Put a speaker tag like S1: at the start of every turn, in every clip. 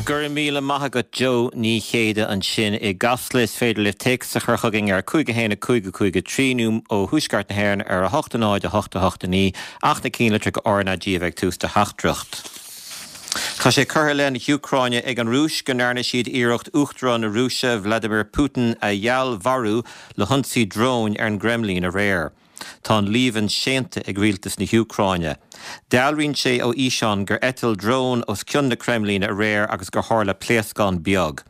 S1: Go raibh míle maith agat Joe Ní Chéide ansin i gCasla. Is féidir libh téacs a chur chugainn ar 5 1 5 5 3 nó ó Thuaisceart na hÉireann ar 8 0 8 8 9 ach na cinnlitreacha RnaG a bheith ag tús do theachtaireacht. Tá sé curtha i leith na hÚcráine ag an Rúis go ndearna siad iarracht Uachtarán na Rúise, Vladimir Putin, a fheallmharú le hionsaí dróin ar an gCreimlín aréir. Tá an líomhain séanta ag rialtas na hÚcráine. Dealraíonn sé ó fhíseán gur eitil drón os cionn na Creimlíne aréir agus gur tharla pléascán beag.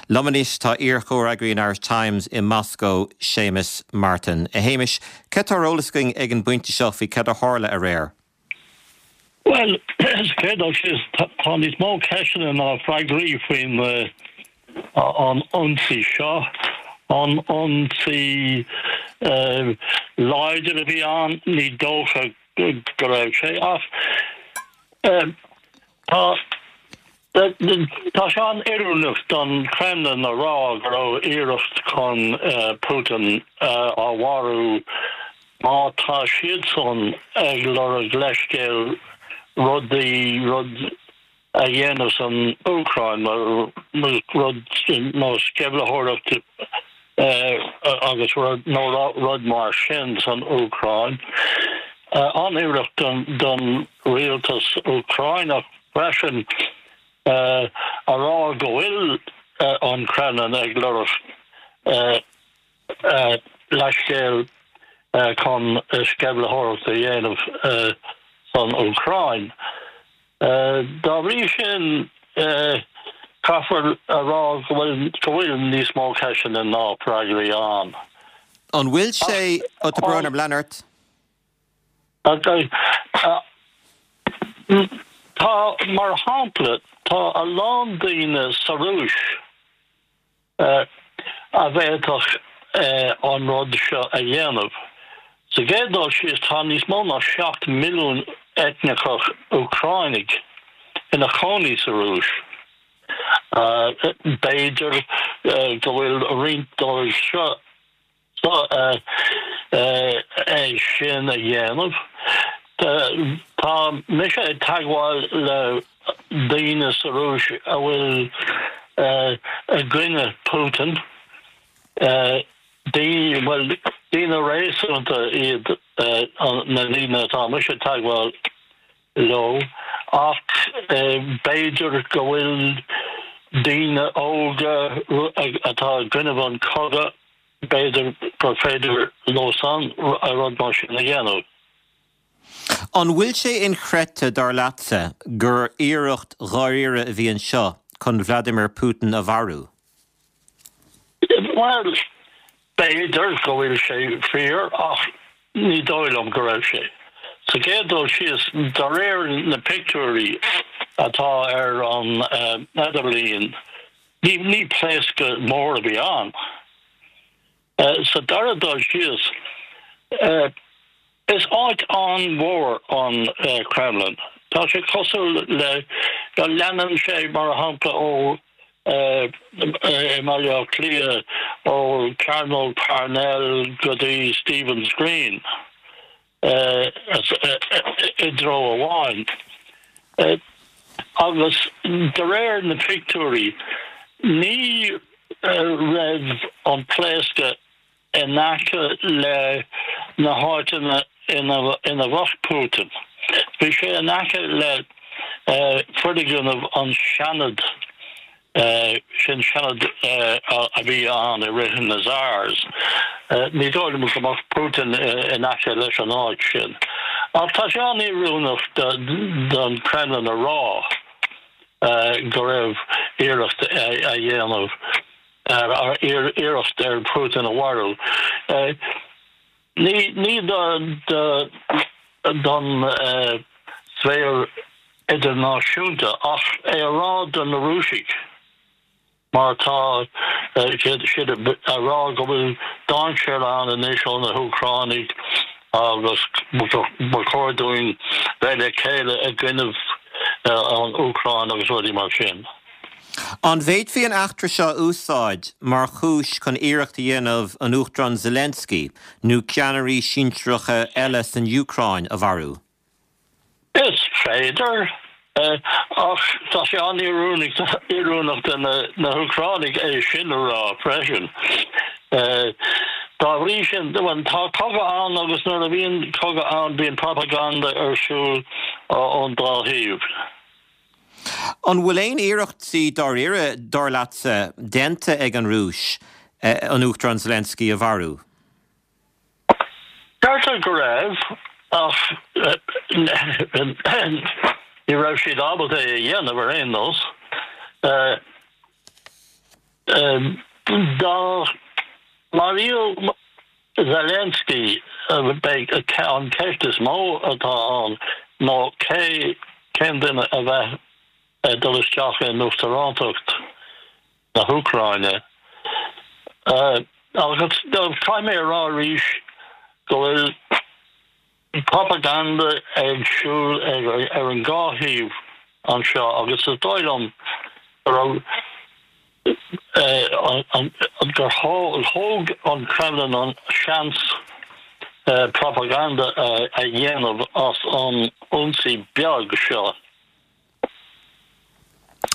S1: Liom anois tá iar-chomhfhreagraí an Irish Times i Moscó, Séamus Martin. A Shéamais, cad tá ar eolas againn ag an bpointe seo faoi cad a tharla aréir?
S2: Bhuel, sa chéad dul síos, tá níos mó ceisteanna ná freagraí faoin an ionsaí seo. An ionsaí láidir a bhí ann? Ní dócha go raibh sé, ach tá Tá sé an-oiriúnach don Kremlin a rá go raibh iarracht chun Putin a mharú má tá siadsan ag lorg leithscéal rudaí, rud a dhéanamh san Úcráin, rud nó sceimhlitheoireacht agus rud nó rud mar sin san Úcráin. An-oiriúnach don rialtas Úcráineach. freisin a rá go bhfuil an Kremlin ag lorg leithscéal chun sceimhlitheoireacht a dhéanamh san Úcráin. Dá bhrí sin, caithfear a rá go bhfuil níos mó ceisteanna ná freagraí ann.
S1: An bhfuil sé, ó tá brón orm, lean ort.
S2: Tá, mar shampla, tá a lán daoine sa Rúis a bhféadfadh an rud seo a dhéanamh. Sa gcéad dul síos, tá níos mó ná 7 milliún eitneachach Úcránaigh ina chónaí sa Rúis. B'fhéidir go bhfuil roinnt dóibh seo é sin a dhéanamh. Tá mise ag teagmháil le daoine sa Rúis a bhfuil i gcoinne Putin, daoine, bhuel, daoine réasúnta iad na daoine atá mise ag teagmháil leo, ach b'fhéidir go bhfuil daoine óga atá i gcoinnibh an chogadh, b'fhéidir gur féidir leosan rud mar sin a dhéanamh.
S1: An bhfuil sé inchreidte, dar leatsa, gur iarracht dháiríre a bhí anseo chun Vladimir Putin a mharú?
S2: Bhuel, b'fhéidir go bhfuil sé fíor ach ní dóigh liom go raibh sé. Sa gcéad dul síos, de réir na pictiúirí atá ar an idirlíon, ní pléascadh mór a bhí ann. Sa dara dul síos, is áit an-mhór an Kremlin. Tá sé cosúil le, leanann sé mar shampla ó i mBaile Átha Cliath ó Chearnóg Parnell go dtí Stephen's Green i dtreo amháin. Agus de réir na pictiúirí ní raibh an pléascadh in aice le na háiteanna ina bheadh Putin. Bhí sé in aice le foirgneamh an Seanad, sin Seanad a bhí ann i rith na Tsars. Ní dóigh liom go mbeadh Putin in aice leis an áit sin. Ach tá sé an-oiriúnach don Kremlin a rá go raibh iarracht a dhéanamh iarracht ar Putin a mharú. Ní don sféar idirnáisiúnta ach é a rá do na Rúisigh mar tá siad a rá go bhfuil dainséar ann anois ó na hÚcránaigh agus ba chóir dúinn bheith le chéile i gcoinnibh an Úcráin agus rudaí mar sin.
S1: An bhféadfaí an eachtra seo a úsáid mar chúis chun iarracht a dhéanamh an Uachtarán Zelensky nó ceannairí sinsearacha eile san Úcráin a mharú?
S2: Is féidir. Ach tá sé an-oiriúnach do na hÚcránaigh é sin a rá freisin. Dá bhrí sin, bhuel, tá cogadh ann agus nuair a bhíonn cogadh ann bíonn propaganda ar siúl ón dá thaobh.
S1: An bhfuil aon iarrachtaí dáiríre, dar leatsa, déanta ag an Rúis an Uachtarán Zelensky a mharú?
S2: Deirtear go raibh, ach ní raibh siad ábalta é a dhéanamh ar aon nós. Dá maraíodh Zelensky, beidh an cheist is mó atá ann ná cé cén duine a bheadh ag dul isteach in uachtarántacht na hÚcráine. Agus caithfidh mé a rá arís go bhfuil propaganda ag siúl ar an dhá thaobh anseo agus is dóigh liom go raibh gur thóg an Kremlin an seans propaganda a dhéanamh as an ionsaí beag seo.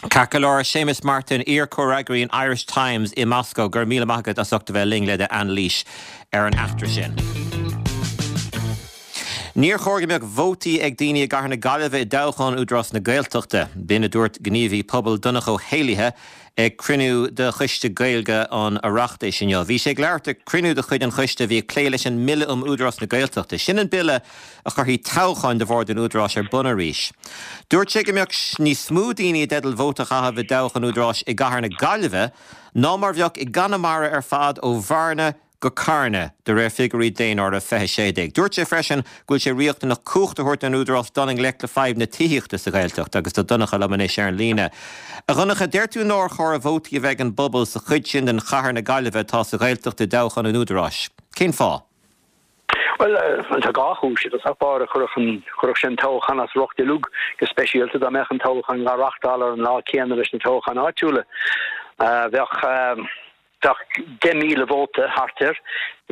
S1: Ceart go leor, Séamus Martin, iar-chomhfhreagraí an Irish Times i Moscó, go raibh míle maith agat as ucht a bheith linn le d'anailís ar an eachtra sin. Níor chóir go mbeadh vótaí ag daoine i gcathair na Gaillimhe i dtoghchán Údarás na Gaeltachta. B'in a dúirt gníomhaí pobail Donncha Ó hÉallaithe ag cruinniú de Choiste Gaeilge an Oireachtais inniu. Bhí sé ag labhairt ag cruinniú de chuid an choiste a bhí ag plé leis an mBille um Údarás na Gaeltachta. Sin an bille a chuirfidh toghcháin do Bhord an Údaráis ar bun arís. Dúirt sé go mbeadh níos mó daoine i dteideal vóta a chaitheamh i dtoghchán Údaráis i gcathair na Gaillimhe ná mar bheadh i gConamara ar fad ó Bhearna go Carna, de réir figiúirí Daonáireamh 2016. Dúirt sé freisin go bhfuil sé riachtanach cumhacht a thabhairt don Údarás dul i ngleic le fadhb na tithíochta sa Ghaeltacht agus tá Donncha liom anois ar an líne. A Dhonncha, deir tú nár chóir vótaí a bheith ag an bpobal sa chuid sin den chathair na Gaillimhe atá sa Ghaeltacht i dtoghchán an Údaráis. Cén fáth?
S3: Bhuel, tá dhá chúis. I dtosach báire, chuirfeadh sé an toghchán as riocht uilig, go speisialta dá mbeadh an toghchán á reáchtáil ar an lá céanna leis na toghcháin áitiúla. Bheadh bheadh 10,000 vóta thart air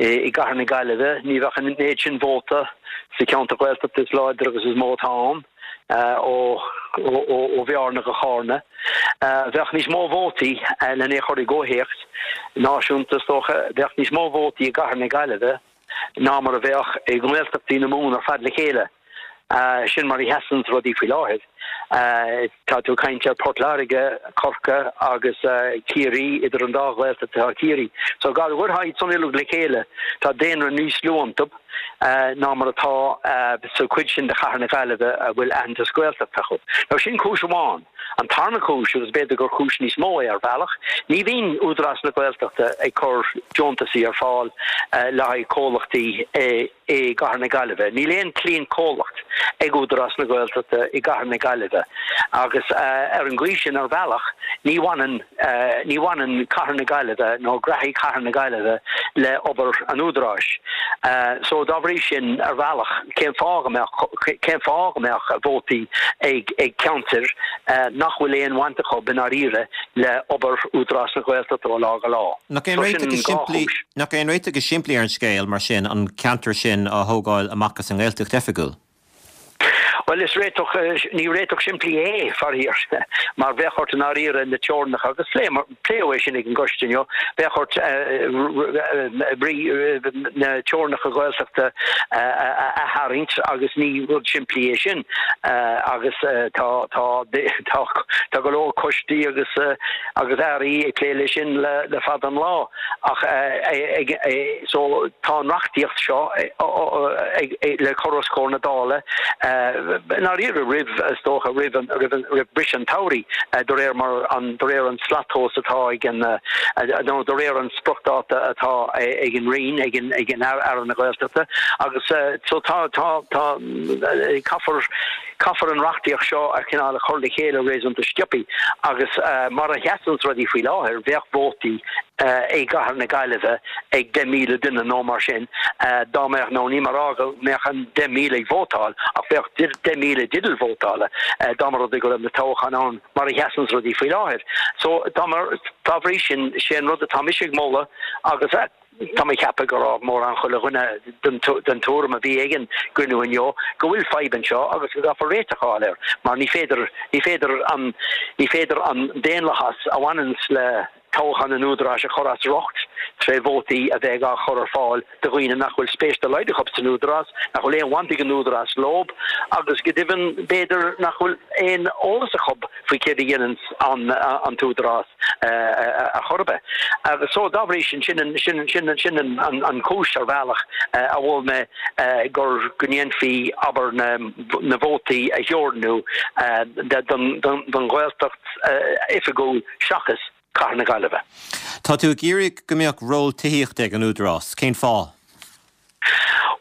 S3: i gcathair na Gaillimhe. Ní bheadh an méid sin vóta sa cheantar Gaeltachta is láidre agus is mó atá ann, ó Bhearna go Carna. Bheadh níos mó vótaí, len é a chur i gcomhthéacs náisiúnta is dócha, bheadh níos mó vótaí i gcathair na Gaillimhe ná mar a bheadh i nGaeltachtaí na Mumhan ar fad le chéile. Sin mar a sheasanns rudaí faoi láthair. Tá tú ag caint ar Port Láirge, Corcaigh agus Ciarraí, idir an dá Ghaeltacht atá Ciarraí. So dá gcuirfeá iad san uilig le chéile, tá daonra níos lú iontu ná mar atá sa chuid sin de chathair na Gaillimhe a bhfuil aitheantas Gaeltachta acu. Now sin cúis amháin. An tarna cúis, agus b'fhéidir gur cúis níos mó é ar bhealach, ní bhíonn Údarás na Gaeltachta ag cur deontasaí ar fáil le haghaidh comhlachtaí i gcathair na Gaillimhe. Níl aon cliantchomhlacht ag Údarás na Gaeltachta i gcathair na Gaillimhe agus ar an gcaoi sin, ar bhealach, ní bhaineann ní bhaineann cathair na Gaillimhe nó graithí chathair na Gaillimhe le obair an Údaráis. So dá bhrí sin, ar bhealach, cén fáth go mbeadh cén fáth go mbeadh vótaí ag ag ceantair nach bhfuil aon bhaint acu i ndáiríre le obair Údarás na Gaeltachta ó lá go lá?
S1: Nach é an réiteach is simplí nach é an réiteach is simplí ar an scéal, mar sin, an ceantar sin a thógáil amach as an nGaeltacht oifigiúil?
S3: Bhuel, is réiteach, ní réiteach simplí é, faraor, mar bheadh ort i ndáiríre na teorainneacha, agus pléadh é sin ag an gcoiste inniu, bheadh ort na teorainneacha Gaeltachta a aththarraingt agus ní rud simplí é sin agus tá tá tá go leor coistí agus agus airí ag plé leis sin le fada an lá ach so tá an reachtaíocht seo le cur os comhair na Dála i ndáiríre roimh, is dócha, roimh an, roimh an, roimh briseadh an tsamhraidh de réir mar an, de réir an slattomhas atá ag an, nó de réir an spriocdháta atá ag an Roinn, ag an, ag an Aire na Gaeltachta agus so tá, tá, tá, caithfear, Caithfear an reachtaíocht seo a chineál a chur le chéile réasúnta sciobtha agus mar a sheasanns rudaí faoi láthair, bheadh vótaí i gcathair na Gaillimhe ag 10,000 duine nó mar sin dá mbeadh, nó níl mé ag rá go mbeadh an 10,000 ag vótáil ach bheadh 10,000 i dteideal vótála dá mba rud é go raibh na toghcháin ann mar a sheasanns rudaí faoi láthair. So dá bhrí sin, sé an rud atá mise ag moladh agus. Tá mé ag ceapadh go raibh mórán chuile dhuine den tuairim a bhí ag an gcruinniú inniu go bhfuil fadhb anseo agus go gcaithfear réiteach a fháil air mar ní féidir, ní féidir an, ní féidir an daonlathas a bhaineanns le toghchán an Údaráis a chur as riocht tré vótaí a bheith á chur ar fáil do dhaoine nach bhfuil spéis dá laghad acu san Údarás, nach bhfuil aon bhaint ag an Údarás leob agus go deimhin b'fhéidir nach bhfuil aon eolas acu faoi céard a dhéananns an tÚdarás ar chor ar bith. Agus so dá bhrí sin, sin sin sin sin an chúis ar bhealach a mhol mé gur go ndéanfaí abair na na vótaí a theorannú don don Ghaeltacht oifigiúil seachas Cathair na Gaillimhe.
S1: Tá tú ag iarraidh go mbeadh ról tithíochta ag an Údarás. Cén fáth?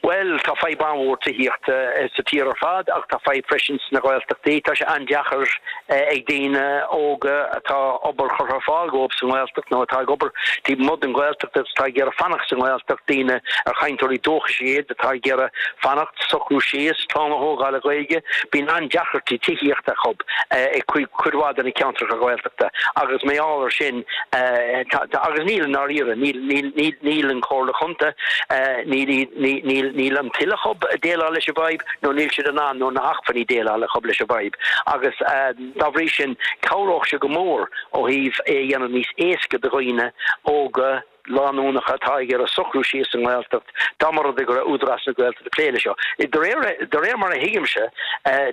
S3: Bhuel, tá fadhb an-mhór tithíochta sa tír ar fad ach tá fadhb freisin sna Gaeltachtaí. Tá sé an-deacair ag daoine óga atá obair curtha ar fáil dhóibh sa nGaeltacht nó atá ag obair taobh amuigh den Ghaeltacht agus atá ag iarraidh fanacht sa nGaeltacht, daoine ar chainteoirí dúchais iad atá ag iarraidh fanacht, socrú síos, clann a thógáil le Gaeilge. Bíonn an-deacrachtaí tithíochta acu i cuid mhaith de na ceantracha Gaeltachta agus mar gheall ar sin tá, agus níl i ndáiríre, níl, níl, níl, níl an Chomhairle Chontae, níl, níl, níl, níl an toil acu déileáil leis an bhfadhb nó níl siad in ann nó na hacmhainní déileáil acu leis an bhfadhb agus dá bhrí sin cabhródh sé go mór ó thaobh é a dhéanamh níos éasca do dhaoine óga, lánúnacha atá ag iarraidh socrú síos sa nGaeltacht dá mba rud é go raibh Údarás na Gaeltachta ag plé leis seo. De réir, de réir mar a thuigimse,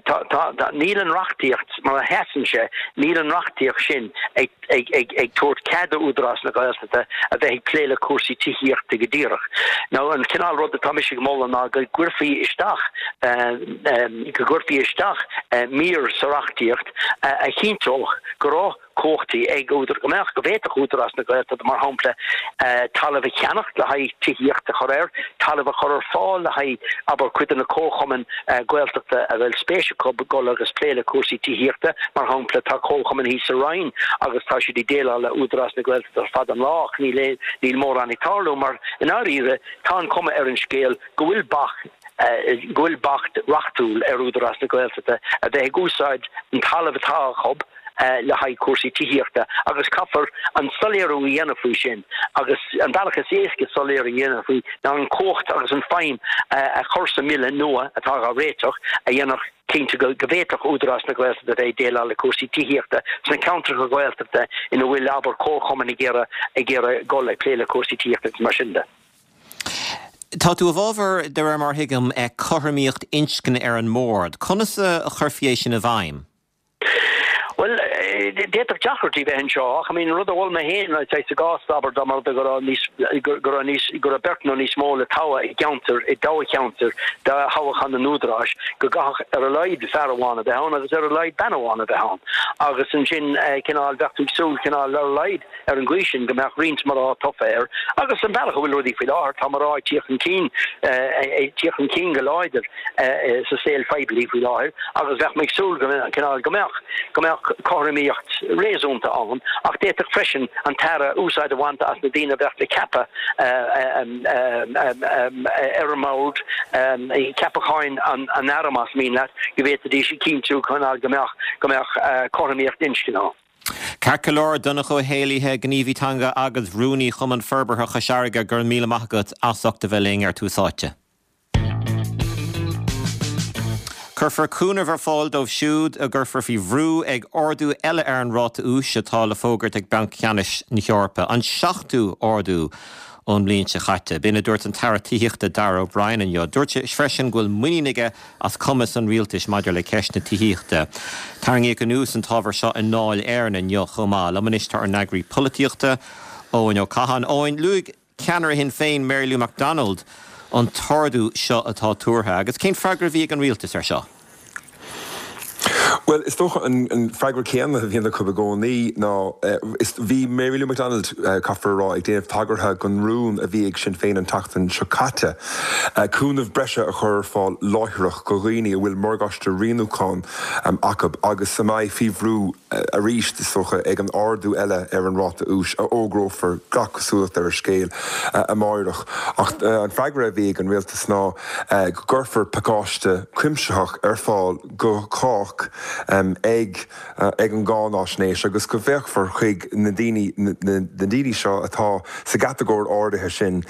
S3: tá, tá, tá, níl an reachtaíocht, mar a sheasann sé, níl an reachtaíocht sin ag, ag, ag, ag tabhairt cead do Údarás na Gaeltachta a bheith ag plé le cúrsaí tithíochta go díreach. Now an cineál rud atá mise ag moladh ná go gcuirfí isteach, go gcuirfí isteach mír sa reachtaíocht a chinnteodh go raibh cumhachtaí ag údar, go mbeadh, go bhféadfadh Údarás na Gaeltachta, mar shampla, talamh a cheannacht le haghaidh tithíocht a chur air, talamh a chur ar fáil le haghaidh, abair, cuid de na comharchumainn Gaeltachta a bhfuil spéis acu dul agus plé le cúrsaí tithíochta. Mar shampla, tá comharchumann thíos sa Rinn agus tá siad ag déileáil le Údarás na Gaeltachta ar fad an lá ach níl aon, níl mórán ag tarlú mar, i ndáiríre, tá an chuma ar an scéal go bhfuil bac, go bhfuil bac reachtúil ar Údarás na Gaeltachta a bheith ag úsáid an talamh atá acu le haghaidh cúrsaí tithíochta agus caithfear an soiléiriú a dhéanamh faoi sin agus an bealach is éasca soiléiriú a dhéanamh faoi ná an chumhacht agus an feidhm a chur sa mBille nua atá á réiteach a dhéanfadh cinnte go bhféadfadh Údarás na Gaeltachta a bheith ag déileáil le cúrsaí tithíochta sna ceantracha Gaeltachta ina bhfuil, abair, comharchumainn ag iarraidh ag iarraidh dul ag plé le cúrsaí tithíochta agus mar sin de.
S1: Tá tú i bhfabhar, de réir mar a thuigim, cothromaíocht inscne ar an mbord. Conas a chuirfí é sin i bhfeidhm?
S3: Bhuel, d'fhéadfadh deacrachtaí bheith anseo ach I mean an rud a mhol mé féin sa gcás, abair, dá mba rud é go raibh níos, go raibh níos, go raibh beirt nó níos mó le toghadh i gceantar, i dtoghcheantar do thoghchán an Údaráis, go gcaithfeadh ar a laghad fear amháin a bheith ann agus ar a laghad bean amháin a bheith ann agus ansin cineál, bheadh tú ag súil cineál ar a laghad ar an gcaoi sin go mbeadh roinnt mná tofa air agus an bealach a bhfuil rudaí faoi láthair, tá mná ag tíocht chun cinn, ag tíocht chun cinn go láidir sa saol phoiblí faoi láthair agus bheadh mé ag súil go cineál go mbeadh, go mbeadh cothromaíocht réasúnta ann ach d'fhéadfadh freisin an tAire úsáid a bhaint as na daoine a bheadh le ceapadh ar an mbord, ceapacháin an Aire más mian leat, go bhféadfaidís a chinntiú cineál go mbeadh, go mbeadh cothromaíocht inscne ann.
S1: Ceart go leor, Donncha Ó hÉallaithe, gníomhaí teanga agus Rúnaí Chumann Forbartha Chois Fharraige, go raibh míle maith agat as ucht a bheith linn ar Tús Áite. Cuirfear cúnamh ar fáil dóibh siúd a gcuirfear faoi bhrú ag ardú eile ar an ráta úis atá le fógairt ag Banc Ceannais na hEorpa, an seachtú ardú ón mbliain seo caite. B'in a dúirt an tAire Tithíochta Darragh O'Brien inniu. Dúirt sé freisin go bhfuil muinín aige as cumas an rialtais maidir le ceist na tithíochta. Tarraingíodh anuas an t-ábhar seo i nDáil Éireann inniu chomh maith. Liom anois tá ár n-eagraí polaitíochta, Eoin Ó Catháin. Eoin, luaigh ceannaire Shinn Féin, Mary Lou McDonald, an t-ardú seo atá tuartha agus cén freagra a bhí ag an rialtas air seo?
S4: Bhuel, is dócha an freagra céanna a bhíonn acu i gcónaí ná, is, bhí Mary Lou McDonald, caithfear a rá, ag déanamh tagartha don rún a bhí ag Sinn Féin an tseachtain seo caite, cúnamh breise a chur ar fáil láithreach do dhaoine a bhfuil morgáiste rianúcháin acu agus a mbeidh faoi bhrú arís, is dócha, ag an ardú eile ar an ráta úis a fhógrófar gach cosúlacht ar an scéal amáireach. Ach an freagra a bhí ag an rialtas ná go gcuirfear pacáiste cuimsitheach ar fáil do chách. chách ag ag an gcáináisnéis agus go bhféachfar chuig na daoine na daoine seo atá sa gcatagóir áirithe sin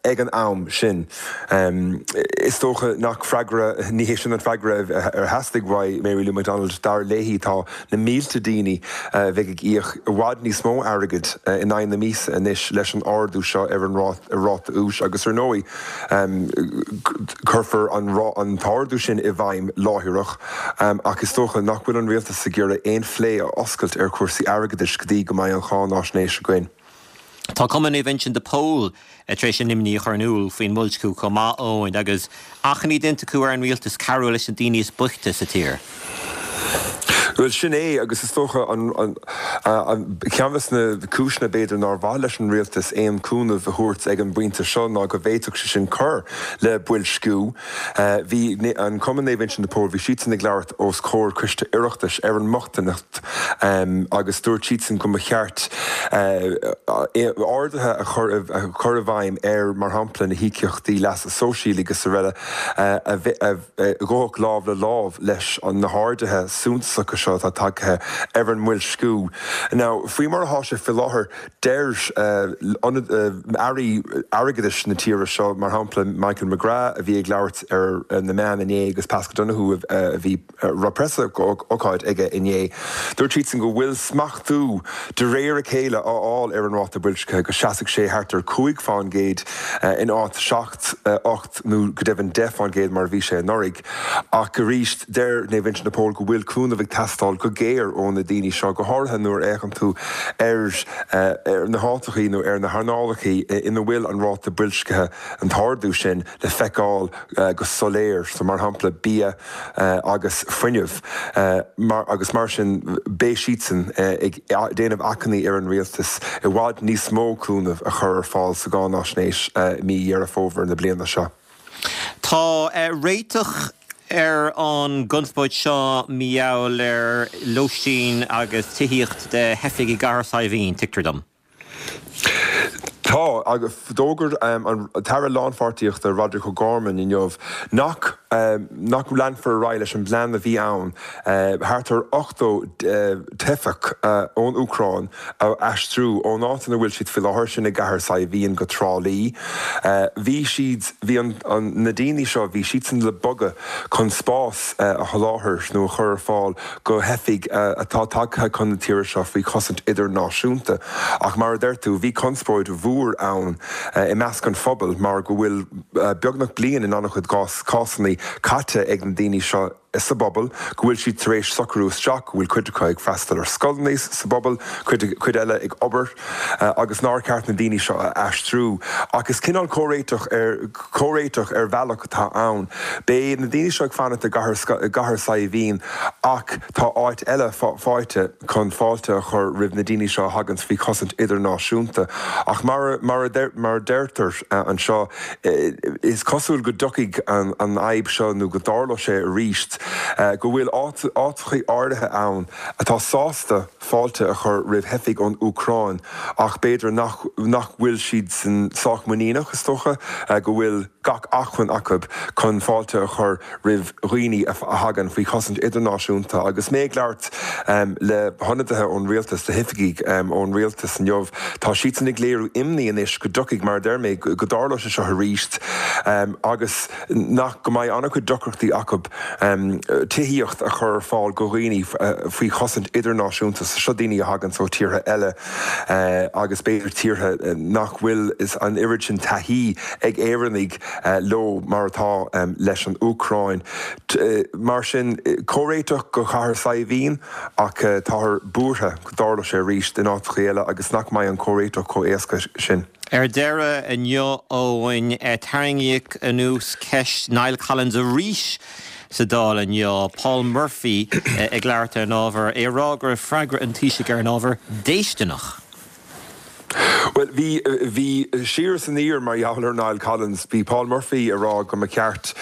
S4: ag an am sin. Is dócha nach freagra, ní hé sin an freagra ar theastaigh uaidh Mary Lou McDonald. Dar léi tá na mílte daoine a bheidh ag íoc i bhfad níos mó airgid in aghaidh na míosa anois leis an ardú seo ar an ráta úis agus ar ndóigh cuirfear an t-ardú sin i bhfeidhm láithreach ach is dócha nach bhfuil an rialtas ag iarraidh aon phlé a oscailt ar chúrsaí airgeadais go dtí go mbeidh an cháináisnéis againn.
S1: Tá Cumann Naomh Uinseann de Pól tar éis a n-imní a chur in iúl faoin mboilsciú chomh maith, Eoin, agus achainí déanta acu ar an rialtas cabhrú leis na daoine is boichte sa tír.
S4: Bhuel, sin é, agus is dócha an ceann de na cúiseanna, b'fhéidir, nár mhaith leis an rialtas aon chúnamh a thabhairt ag an bpointe seo ná go bhféadfadh sé sin cur le boilsciú. Bhí an Cumann Naomh Uinseann de Pól, bhí siadsan ag labhairt os comhair Coiste Oireachtais ar an mbochtaineacht agus dúirt siadsan go mba cheart arduithe a chur a chur i bhfeidhm ar, mar shampla, na híocaíochtaí leasa sóisialaigh agus araile a ghabhfadh lámh le lámh leis na harduithe suntasacha seo atá tagtha ar an mboilsciú. Now, faoi mar atá sé faoi láthair, Deir airí airgeadais na tíre seo, mar shampla Michael McGrath a bhí ag labhairt ar na meáin inné agus Paschal Donohoe a bhí raibh preasócáid aige inné, dúirt siadsan go bhfuil smachtú de réir a chéile á fháil ar an ráta boilscithe, go seasfaidh sé thart ar 5% in áit 7, 8 nó go deimhin 10% mar a bhí sé anuraidh. Ach arís, deir Naomh Uinseann de Pól go bhfuil cúnamh ag teastáil go géar ó na daoine seo, go háirithe nuair a fhéachann tú ar na háiteachaí nó ar na hearnálachaí ina bhfuil an ráta boilscithe, an t-ardú sin, le feiceáil go soiléir, so mar shampla bia agus fuinneamh. Agus mar sin beidh siadsan ag déanamh achainí ar an rialtas i bhfad níos mó cúnamh a chur ar fáil sa gcáináisnéis i mí Dheireadh Fómhair na bliana seo.
S1: Tá réiteach ar an gconspóid seo mar gheall ar lóistín agus tithíocht do theifigh i gCathair Saidhbhín, tuigtear dom.
S4: Tá, agus d'fhógair an tAire Lánpháirtíochta Roderic O'Gorman inniu nach nach leanfar ar aghaidh leis an bplean a bhí ann thart ar 80 teifeach ón Úcráin a aistriú ón áit ina bhfuil siad faoi láthair, sin i gCathair Saidhbhín, go Trá Lí. Bhí siad, bhí an, an, na daoine seo, bhí siadsan le bogadh chun spás a sholáthar nó a chur ar fáil go theifigh atá tagtha chun na tíre seo faoi chosaint idirnáisiúnta. Ach mar a deir tú, bhí conspóid mhór ann i measc an phobail mar go bhfuil beagnach bliain in an-chuid cásanna caite ag na daoine seo sa bpobal, go bhfuil siad tar éis socrú isteach, go bhfuil cuid acu ag freastal ar scoileanna sa bpobal, cuid eile ag obair agus nár cheart na daoine seo a aistriú. Ach is cineál comhréiteach ar comhréiteach ar bhealach atá ann. Beidh na daoine seo ag fanacht i gCathair Saidhbhín ach tá áit eile faighte chun fáilte a chur roimh na daoine seo a thaganns faoi chosaint idirnáisiúnta. Ach mar mar a deirtear anseo, Is cosúil go dtiocfaidh an fhadhb seo nó go dtarlóidh sé arís, go bhfuil áiteachaí áirithe ann atá sásta fáilte a chur roimh theifigh ón Úcráin ach b'fhéidir nach nach bhfuil siadsan sách muiníneach, is dócha, go bhfuil gach acmhainn acu chun fáilte a chur roimh dhaoine a thagann faoi chosaint idirnáisiúnta. Agus mé ag labhairt le hionadaithe ón rialtas, le hoifigigh ón rialtas inniu, tá siadsan ag léiriú imní anois go dtiocfaidh, mar a deir mé, go dtarlóidh sé seo arís agus nach, go mbeidh an-chuid deacrachtaí acu tithíocht a chur ar fáil go dhaoine faoi chosaint idirnáisiúnta. Seo daoine a thaganns ó tíortha eile agus b'fhéidir tíortha nach bhfuil an oiread sin taithí ag Éireannaigh leo mar atá leis an Úcráin. Mar sin, comhréiteach go Cathair Saidhbhín ach táthar buartha go dtarlóidh sé arís in áiteachaí eile agus nach mbeidh an comhréiteach chomh éasca sin.
S1: Ar deireadh inniu, Eoin, tarraingíodh anuas ceist Niall Collins arís sa Dáil inniu, Paul Murphy ag labhairt ar an ábhar, é ag rá go raibh freagra an Taoisigh ar an ábhar déistineach.
S4: Bhuel, bhí, bhí siar is aniar mar gheall ar Niall Collins. Bhí Paul Murphy ag rá go mba cheart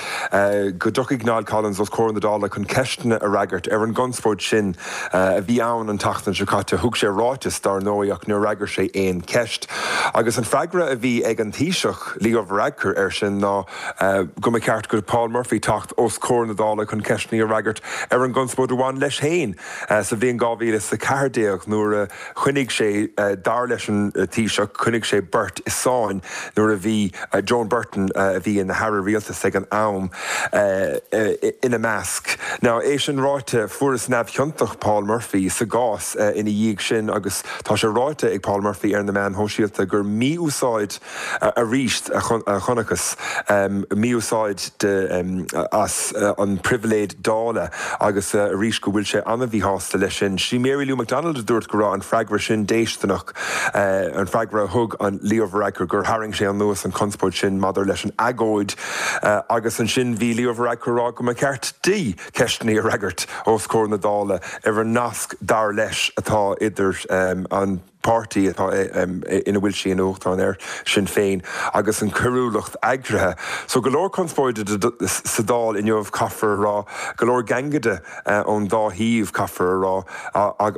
S4: go dtiocfadh Niall Collins os comhair na Dála chun ceisteanna a fhreagairt ar an gconspóid sin a bhí ann an tseachtain seo caite. Thug sé ráiteas, dar ndóigh, ach níor fhreagair sé aon cheist. Agus an freagra a bhí ag an Taoiseach, Leo Varadkar, air sin ná go mba cheart go Paul Murphy teacht os comhair na Dála chun ceisteanna a fhreagairt ar an gconspóid a bhain leis féin sa bhliain 2014 nuair a Choinnigh sé, dar leis an Taoiseach, choinnigh sé beirt i sáinn nuair a bhí Joan Burton, a bhí ina haire rialtais ag an am, ina measc. Now, é sin ráite, fuarthas neamhchiontach Paul Murphy sa gcás ina dhiaidh sin agus tá sé ráite ag Paul Murphy ar na meáin shóisialta gur mí-úsáid arís a chonacthas, mí-úsáid as an pribhléid Dála agus arís go bhfuil sé an-mhíshásta leis sin. Sí Mary Lou McDonald a dúirt go raibh an freagra sin déisteanach, an freagra a thug an Leo Varadkar, gur tharraing sé anuas an chonspóid sin maidir leis an agóid agus ansin bhí Leo Varadkar ag rá go mba cheart di ceisteanna a fhreagairt os comhair na Dála ar an nasc dar leis atá idir an páirtí atá ina bhfuil sí ina uachtarán air, Sinn Féin, agus an choiriúlacht eagraithe. So go leor conspóide sa Dáil inniu, caithfear a rá, go leor gangaide ón dá thaobh, caithfear a rá,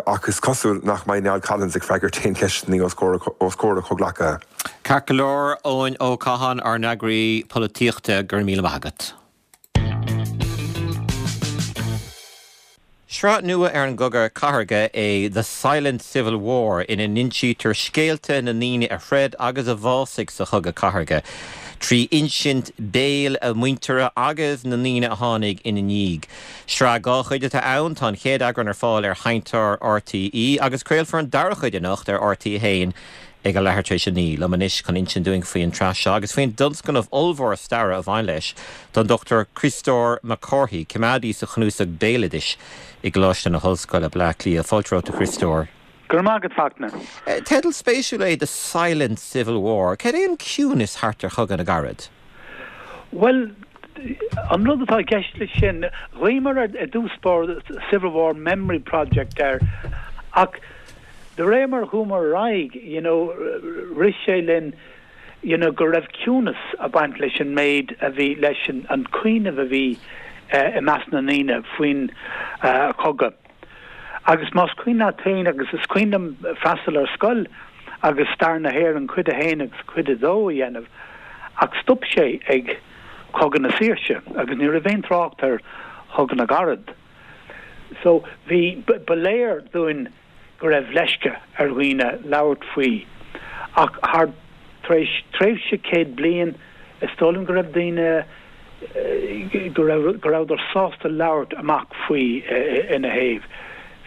S4: ach is cosúil nach mbeidh Niall Collins ag freagairt aon cheisteanna os comhair a chomhghleacaithe.
S1: Ceart go leor, Eoin Ó Catháin, ár n-eagraí polaitíochta, go raibh míle maith agat. Sraith nua ar an gCogadh Cathartha é The Silent Civil War ina n-insítear scéalta na ndaoine a throid agus a bhásaigh sa Chogadh Cathartha, trí insint béil a muintire agus na ndaoine a tháinig ina ndiaidh. Sraith 2 chuid atá ann, tá an chéad eagrán ar fáil ar Sheinnteoir RTÉ agus craolfar an dara cuid anocht ar RTÉ 1 Ag a leathuair tar éis a 9, liom anois chun insint dúinn faoin tsraith seo agus faoin dtionscnamh ollmhór staire a bhain leis, tá an Dr Criostóir Mac Cárthaigh, coimeádaí sa Chnuasach Béaloidis i gColáiste na hOllscoile, Bleá Cliath. Fáilte romhat, a Chriostóir.
S5: Go raibh maith agat, Fachtna.
S1: Teideal spéisiúil é The Silent Civil War. Cad é an ciúnas thart ar Chogadh na gCarad?
S5: Bhuel, an rud atá i gceist leis sin, ghlaomar i dtús báire Civil War Memory Project air ach De réir mar a chuamar ar aghaidh, you know, rith sé linn, you know, go raibh ciúnas ag baint leis an méid a bhí, leis an cuimhneamh a bhí i measc na ndaoine faoin chogadh. Agus más cuimhin leat féin, agus is cuimhin liom freastal ar scoil agus Stair na hÉireann cuid a haon agus cuid a dó a dhéanamh, ach stop sé ag Cogadh na Saoirse agus ní raibh aon trácht ar Chogadh na gCarad. So bhí, ba léir dúinn go raibh leisce ar dhaoine labhairt faoi ach thar, tar éis tréimhse 100 bliain, is dóigh liom go raibh daoine, go raibh, go rabhadar sásta labhairt amach faoi ina thaobh.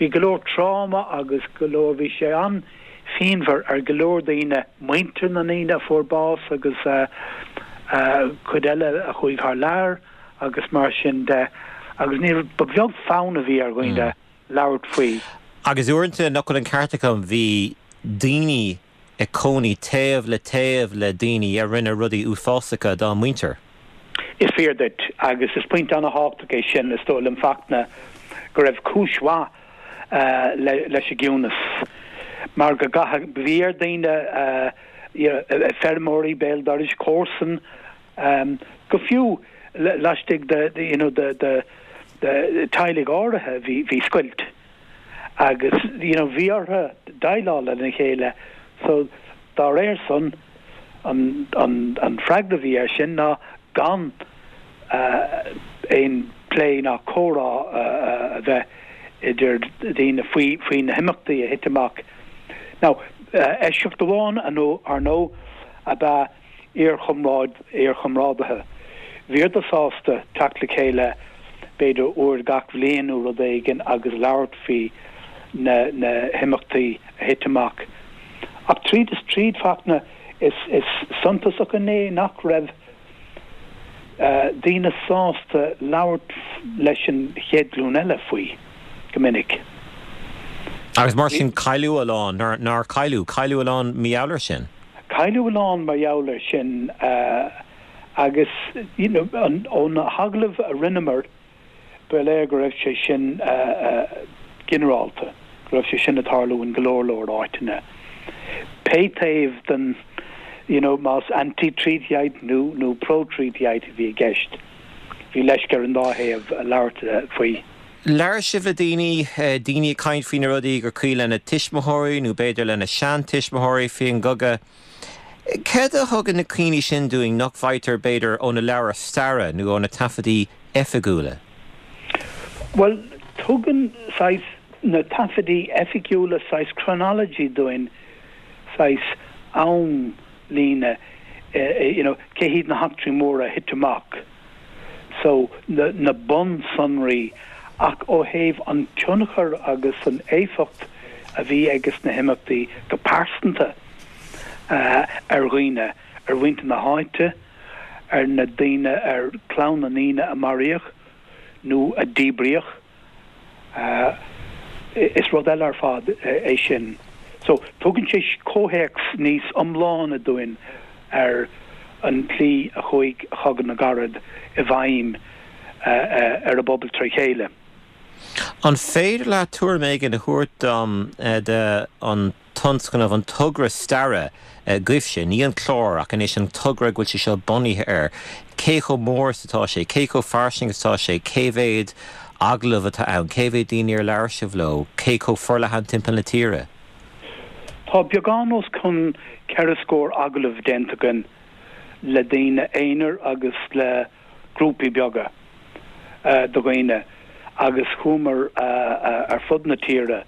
S5: Bhí go leor tráma agus go leor, bhí sé an-phianmhar ar go leor daoine, muintir na ndaoine a fuair bás agus cuid eile a chuaigh thar lear. agus mar sin de, agus ní raibh, ba bheag fonn a bhí ar dhaoine labhairt faoi.
S1: Agus uaireanta, nach bhfuil an ceart agam, bhí daoine ag cónaí taobh le taobh le daoine a rinne rudaí uafásacha dá muintir.
S5: Is fíor duit, agus is pointe an-thábhachtach é sin, is dóigh liom, Fachtna, go raibh cúis mhaith leis an gciúnas, mar go gcaithfeadh, bhí ar daoine, feirmeoirí béal dorais, comharsan, Go fiú laistigh de you know de de teaghlaigh áirithe bhí bhí scoilt agus you know bhí orthu déileáil lena chéile so dá réir san an an an freagra a bhí air sin ná gan aon plé ná comhrá a bheith idir daoine faoi faoi na himeachtaí a thit amach. Now eisceacht amháin ar ndóigh ab ea iarchomráid, iarchomrádaithe. Bhíodar sásta teacht le chéile b'fhéidir uair gach bhliain nó rud éigin agus labhairt faoi na na himeachtaí a thit amach. Ach tríd is tríd, Fachtna, is is suntasach an ní nach raibh daoine sásta labhairt leis an chéad ghlúin eile faoi, go minic.
S1: Agus mar sin cailleadh a lán, nár cailleadh, cailleadh a lán mar gheall air sin.
S5: Cailleadh a lán mar gheall air sin agus you know ó na hagallaimh a rinneamar ba léir go raibh sé sin ginearálta, go raibh sé sin ag tarlú in go leor leor áiteanna. Pé taobh den, you know, más anti-treatyite nó nó pro-treatyite a bhí i gceist, bhí leisce ar an dá thaobh labhairt faoi.
S1: Labhair sibh le daoine, daoine ag caint faoi na rudaí gur cuimhin lena tuismitheoirí nó b'fhéidir lena seantuismitheoirí faoin gcogadh. Céard a thugann na cuimhní sin dúinn nach bhfaightear, b'fhéidir, ó na leabhair staire nó ó na taifeadaí oifigiúla?
S5: Bhuel, tugann saghas na taifeadaí oifigiúla saghas chronology dúinn, saghas amlíne, you know, cé hiad na heachtraí móra a thit amach, so na na bunsonraí, ach ó thaobh an tionchar agus an éifeacht a bhí ages na himeachtaí go pearsanta ar dhaoine, ar mhuintir na háite, ar na daoine, ar chlann na ndaoine a maraíodh nó a díbríodh. Is rud eile ar fad é sin. So, tugann sé comhthéacs níos iomláine dúinn ar an tslí a chuaigh Cogadh na gCarad i bhfeidhm ar an bpobal tré chéile.
S1: An féidir leat tuairim éigin a thabhairt dom de an tionscnamh, an togra staire agaibhse, ní an clár ach anois an togra go bhfuil sé seo bunaithe air, cé chomh mór is atá sé, cé chomh fairsing is atá sé, cé mhéad agallamh atá ann, cé mhéad daoine ar labhair sibh leo, cé chomh forleathan timpeall na tíre?
S5: Tá beagán os cionn 4 scór agallamh déanta againn le daoine aonair agus le grúpaí beaga de dhaoine agus chuamar ar fud na tíre.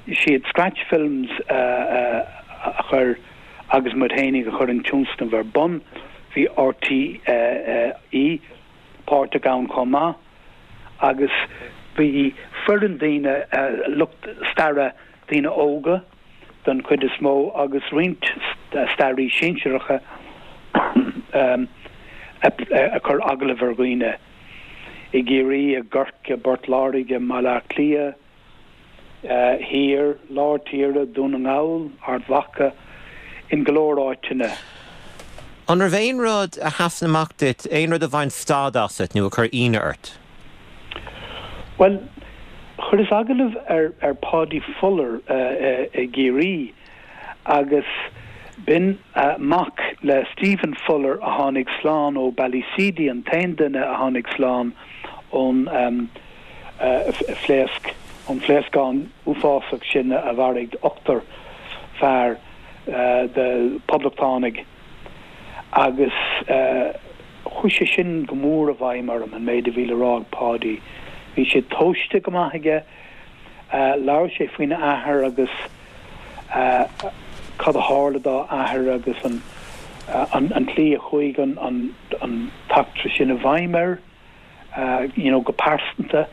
S5: Siad Scratch Films a chuir agus muid fhéinig a chuir an tionscnamh ar bun. Bhí RTÉ páirteach ann chomh maith agus bhí foireann daoine, lucht staire, daoine óga don chuid is mó agus roinnt staraí sinsearacha a chuir agallamh ar dhaoine i gCiarraí, i gCorcaigh, i bPort Láirge, i mBaile Átha Cliath. thiar, lár tíre, Dún na nGall, Ard Mhacha, in go leor áiteanna.
S1: An raibh aon rud a sheasann amach duit, aon rud a bhain stad asat nó a chuir ionadh ort?
S5: Bhuel, chuireas agallamh ar ar Paudie Fuller i gCiarraí agus b'in mac le Stephen Fuller a tháinig slán ó Ballyseedy, an t-aon duine a tháinig slán ón phléasc, an phléascán uafásach sin a mharaigh ochtar fear de poblachtánaigh agus chuaigh sé sin go mór i bhfeidhm orm, an méid a bhí le rá ag Paudie. Bhí sé tomhaiste go maith aige, labhair sé faoina athair agus cad a tharla dá athair agus an an tslí a chuaigh an an t-eachtra sin i bhfeidhm air. you know go pearsanta,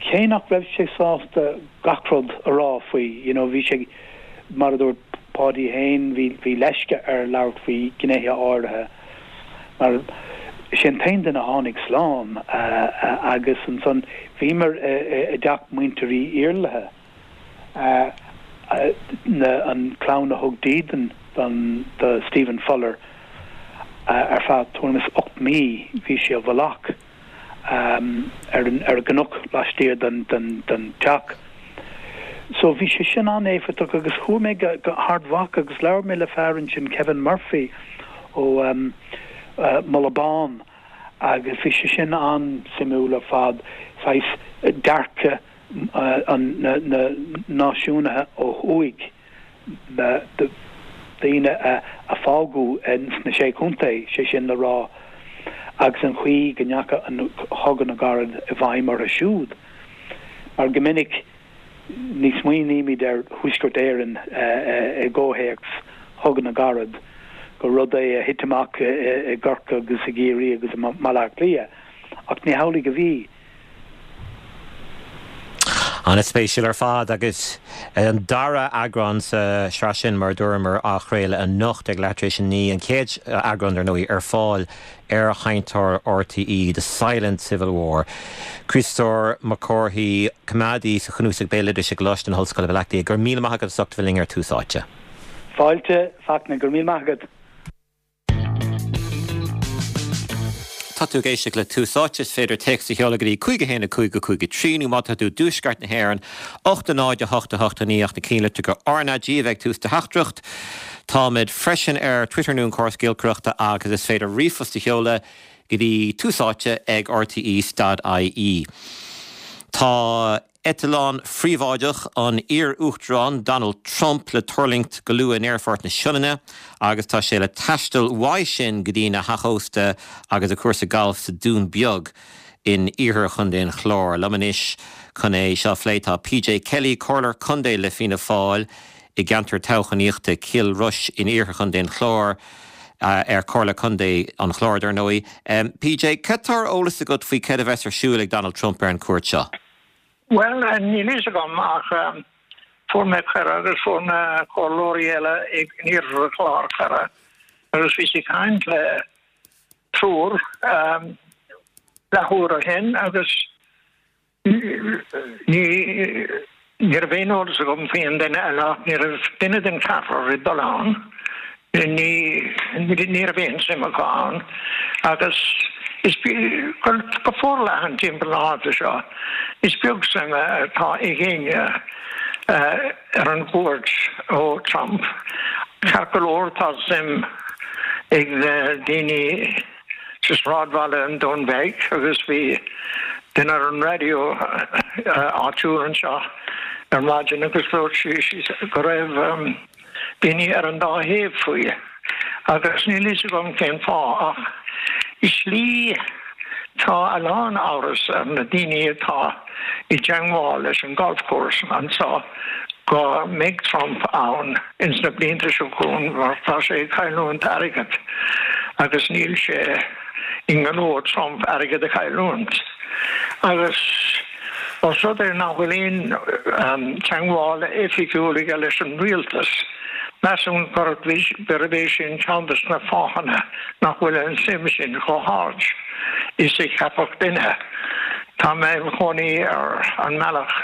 S5: cé nach raibh sé sásta gach rud a rá faoi, you know bhí sé, mar a dúirt Paudie féin, bhí, bhí leisce air labhairt faoi ghnéithe áirithe mar is é an t-aon duine a tháinig slán agus ansan bhíomar i dteach muintir Uí Iarlaithe, an clann a thug dídean don, do Stephen Fuller ar feadh tuairim is 8 mí, bhí sé i bhfolach ar an ar an gcnoc laistiar den den den teach. So bhí sé sin an-éifeachtach agus chuaigh mé go go hArd Mhacha agus labhair mé le fear ansin, Kevin Murphy ó Mullach Bán agus bhí sé sin an-suimiúil ar fad, saghas dearcadh na náisiúnaithe ó thuaidh, na daoine a fágadh sna Sé Chontae, sé sin le rá, agus an chaoi go ndeachaigh an Cogadh na gCarad i bhfeidhm orthu siúd. Mar go minic ní smaoinímid ar Thuaisceart Éireann i gcomhthéacs Chogadh na gCarad, gur rud é a thit amach i gCorcaigh agus i gCiarraí agus i mBaile Átha Cliath, ach ní hamhlaidh a bhí.
S1: An-spéisiúil ar fad agus an dara eagrán sa sraith sin, mar a dúramar, á chraoladh anocht ag leath tar éis a 9. An chéad eagrán, dar ndóigh, ar fáil ar sheinnteoir RTÉ, The Silent Civil War. Críostóir Mac Cárthaigh, coimeádaí sa Chnuasach Béaloidis i gColáiste na hOllscoile Baile Átha Cliath, go raibh míle maith agat as ucht a bheith linn ar Tús Áite.
S5: Fáilte, Fachtna, go raibh míle maith agat.
S1: Tá tú ag éisteacht le Tús Áite. Is féidir téacs a sheoladh go dtí 5 1 5 5 3 nó má tá tú i dtuaisceart na hÉireann, 8 0 8 8 9 ach na cinnlitreacha RnaG a bheith ag tús do theachtaireacht. Táimid freisin ar Twitter nó an córas giolcaireachta agus is féidir ríomhphost a sheoladh go dtí Tús Áite ag rte stad ie. Tá. Eitleán phríobháideach an iar-Uachtaráin Donald Trump le tuirlingt go luath in Aerfort na Sionainne agus tá sé le taisteal uaidh sin go dtí a theach ósta agus a chúrsa gailf sa Dún Beag in iarthar Chontae an Chláir. Liom anois chun é seo a phlé tá PJ Kelly, Comhairleoir Contae le Fianna Fáil i gceantar toghchánaíochta Chill Rois in iarthar Chontae an Chláir, ar Chomhairle Contae an Chláir dar ndóigh. PJ, cad tá ar eolas agat faoi céard a bheas ar siúl ag Donald Trump ar an chuairt seo?
S2: Bhuel, níl fhios agam ach fuair mé cuireadh agus fuair na comhairleoirí eile in iarthar an Chláir cuireadh agus bhíos ag caint le triúr leathuair ó shin agus Ní raibh aon eolas agam faoi an duine eile ach ní raibh duine den cheathrar ag dul ann. Ní ní raibh aon suim acu ann agus is go forleathan timpeall na háite seo is beag suim atá ag éinne ar an gcuairt ó Trump. Ceart go leor tá suim ag na daoine sa sráidbhaile an Dún Beag agus bhí duine ar an raidió áitiúil anseo ar maidin agus dúirt sí go raibh daoine ar an dá thaobh faoi agus níl fhios agam cén fáth ach i slí tá a lán amhras ar na daoine atá i dteangmháil leis an golf course anseo go mbeidh Trump ann ins na blianta seo chugainn mar tá sé ag cailliúint airgead agus níl sé i ngnó Trump airgead a chailliúint. Agus os rud é nach bhfuil aon teangmháil oifigiúil aige leis an rialtas, measaim gurb é sin ceann de na fáthanna nach bhfuil an suim sin chomh hard is a cheapfadh duine. Tá mé im chónaí ar an mbealach,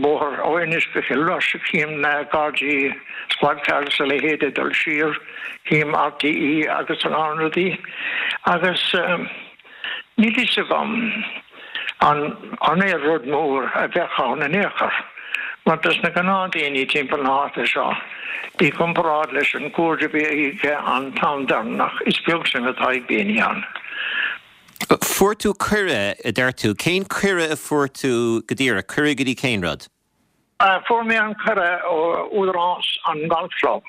S2: bóthar ó Inis go Cill Rois, cím na Gardaí, squad cars a leithéid ag dul siar, cím RTÉ agus a lán rudaí agus níl fhios agam an an é rud mór a bheadh ann in aon chor mar dos na gnáthdaoine timpeall na háite seo i gcomparáid leis an gcuairt a bhí aige an t-am deireanach is beag suim atá ag daoine ann.
S1: Fuair tú cuireadh, a deir tú. Cén cuireadh a fuair tú go díreach? Cuireadh go dtí cén rud?
S2: Fuair mé an cuireadh ó údarás an Golf Club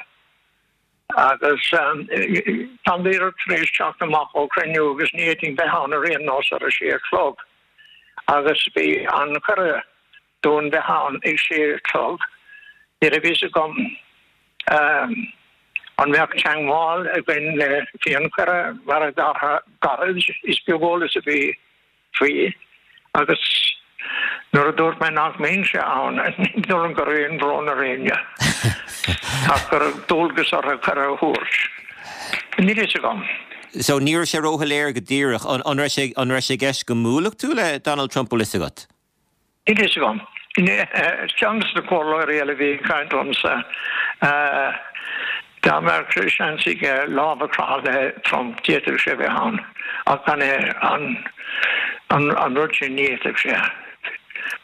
S2: agus táim díreach tar éis teacht amach ó chruinniú agus ní fhéadfainn bheith ann ar aon nós ar a sé a chlog agus bhí an cuireadh dúinn bheith ann ag sé a chlog. Ní raibh fhios agam an mbeadh teangmháil againn le faoi an chuireadh mar a gairid is beag eolas a bhí faoi agus nuair a dúirt mé nach mbeinnse ann ní dóigh liom go raibh aon bhrón ar éinne ach go raibh dualgas orthu cuireadh a thabhairt. Níl fhios agam.
S1: So ní raibh sé róshoiléir go díreach. An raibh sé an raibh sé i gceist go mbuailfeadh tú le Donald Trump bhfuil fhios agat?
S2: Níl fhios agam. Ceann de na comhairleoirí eile a bhí ag caint liomsa, dá mbeadh seans aige lámh a chroitheadh le Trump, d'fhéadfadh sé bheith ann, ach gan é an rud sin, ní fhéadfadh sé.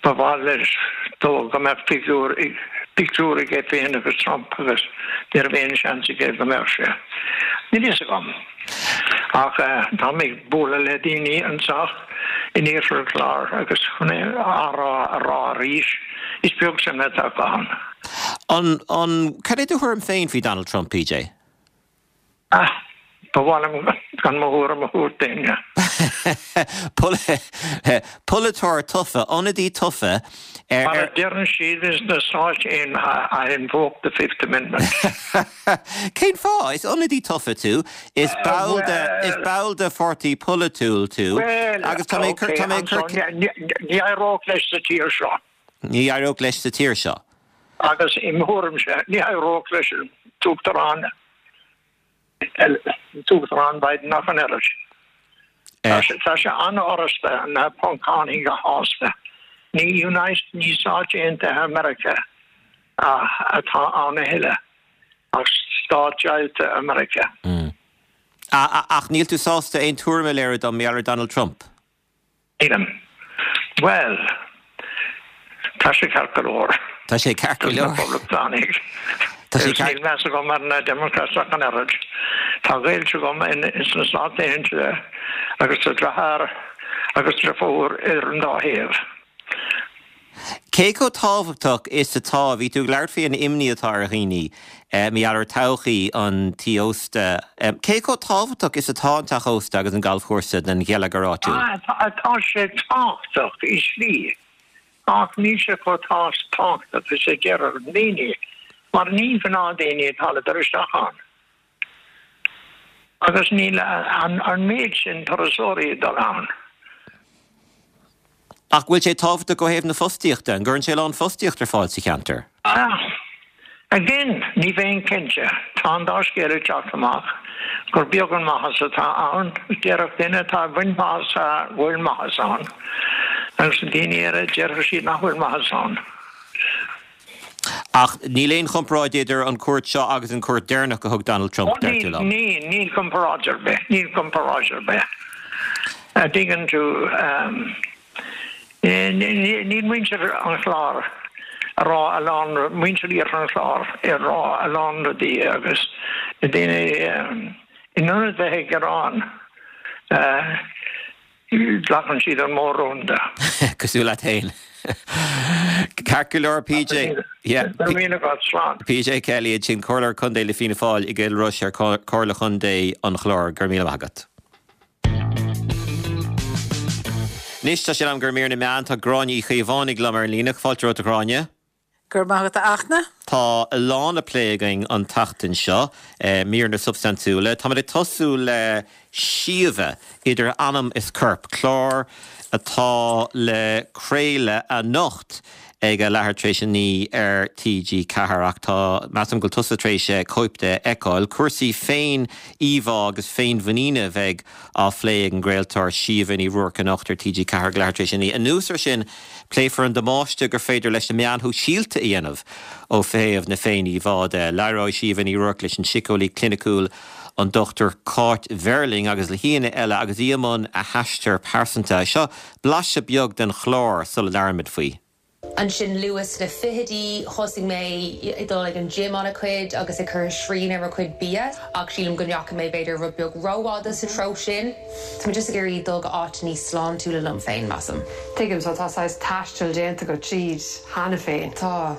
S2: Ba mhaith leis dó go mbeadh figiúr, pictiúr aige féin agus Trump agus ní raibh aon seans aige go mbeadh sé. Níl fhios agam. Ach táim ag bualadh le daoine anseo in Iarthar an Chláir agus chun é a rá a rá arís, is beag suim atá acu ann.
S1: An, an, cad é do thuairim féin faoi Donald Trump, PJ?
S2: Ah, ba mhaith liom gan mo thuairim a thabhairt d'éinne.
S1: Polaiteoir tofa, ionadaí tofa
S2: ar. Mar a deireann siad ins na Stáit Aontaithe, I invoke the Fifth Amendment.
S1: Cén fáth? Is ionadaí tofa tú, is ball de, is ball de pháirtí polaitiúil tú agus tá mé ag cur, tá mé ag cur.
S2: Ní éireodh leis sa tír seo.
S1: Ní éireodh leis sa tír seo.
S2: Agus i mo thuairimse, ní éireodh leis an tUachtarán, an tUachtarán Biden ach an oiread. Tá sé an-fhurasta na Poncánaigh a shásamh. Ní United, ní Stáit Aontaithe Meiriceá atá ann a thuilleadh, ach Stát Deighilte Meiriceá.
S1: Ach níl tú sásta aon tuairim a léiriú dom mar gheall ar Donald Trump?
S2: Nílim. Bhuel, tá sé ceart go leor.
S1: Tá sé ceart go leor.
S2: Dos na Poblachtánaigh. Tá sé ceart. Níl meas agam ar na Democrats ach an oiread. Tá gaolta agam sna Stáit Aontaithe agus tá deartháir agus deirfiúr ar an dá thaobh.
S1: Cé chomh tábhachtach is atá, bhí tú ag labhairt faoi an imní atá ar dhaoine mar gheall ar todhchaí an tí ósta, cé chomh tábhachtach is atá an teach ósta agus an galfchúrsa don gheilleagar áitiúil?
S2: Tá sé tábhachtach i slí, ach níl sé chomh tábhachtach is a déarfadh daoine, mar ní gnáthdaoine atá le dul isteach ann. Agus níl an méid sin turasóirí ag dul ann.
S1: Ach bhfuil sé tábhachtach ó thaobh na fostaíochta? An gcuireann sé a lán fostaíocht ar fáil sa cheantar?
S2: Ah, again, ní bheinn cinnte. Tá an dá scéal ag teacht amach, gur beag an maitheas atá ann. Déarfadh duine atá ag baint maitheas go bhfuil maitheas ann, agus daoine eile, déarfadh siad nach bhfuil maitheas ann.
S1: Ach níl aon chomparáid idir an cuairt seo agus an cuairt deireanach a thug Donald Trump, deir tú liom.
S2: Níl, níl comparáid ar bith, níl comparáid ar bith. A dtuigeann tú, níl muintir an Chláir a rá a lán, muintir iarthar an Chláir ag rá a lán rudaí agus daoine in ionad bheith ag gearán, Glacann siad an mór-rún de.
S1: Cosúil leat féin. Ceart go leor, PJ.
S2: Go raibh míle agat, slán.
S1: PJ Kelly ansin, Comhairleoir Contae le Fianna Fáil i gCill Rois ar Comhairle Chontae an Chláir. Go raibh míle maith agat. Anois tá sé in am do mhír na meán. Tá Gráinne Uí Chaomhánaigh liom ar an líne. Fáilte romhat a Ghráinne.
S6: Go raibh maith agat a Fhachtna.
S1: Tá a lán le plé againn an tseachtain seo, míreanna substaintiúla. Táimid ag tosú le Síomha, Idir Anam is Corp, clár atá le craoladh anocht ag a leathuair tar éis a 9 ar TG4 ach tá, measaim go bhfuil tusa tar éis cóip de a fheiceáil. Cúrsaí féin-íomhá agus féinmhuiníne a bheidh á phlé ag an gcraoltóir Síomha Ní Ruairc anocht ar TG4 ag leathuair tar éis a 9. Anuas air sin, pléifear an damáiste gur féidir leis na meáin shóisialta a dhéanamh ó thaobh na féin-íomhá de. Labhróidh Síomha Ní Ruairc leis an síceolaí cliniciúil an Dr Cáit Verling agus le haíonna eile agus í i mbun a haistir pearsanta. Seo blaiseadh beag den chlár sula labhraímid faoi.
S7: Ansin luath sna fichidí, thosaigh mé ag dul ag an gym an-chuid agus ag cur srian ar mo chuid bia, ach sílim go ndeachaigh mé b'fhéidir rud beag rófhada sa treo sin. Tá mé just ag iarraidh dul go áit níos sláintiúla liom féin, measaim.
S8: Tuigim, so tá saghas taisteal déanta agat tríd cheana féin.
S7: Tá.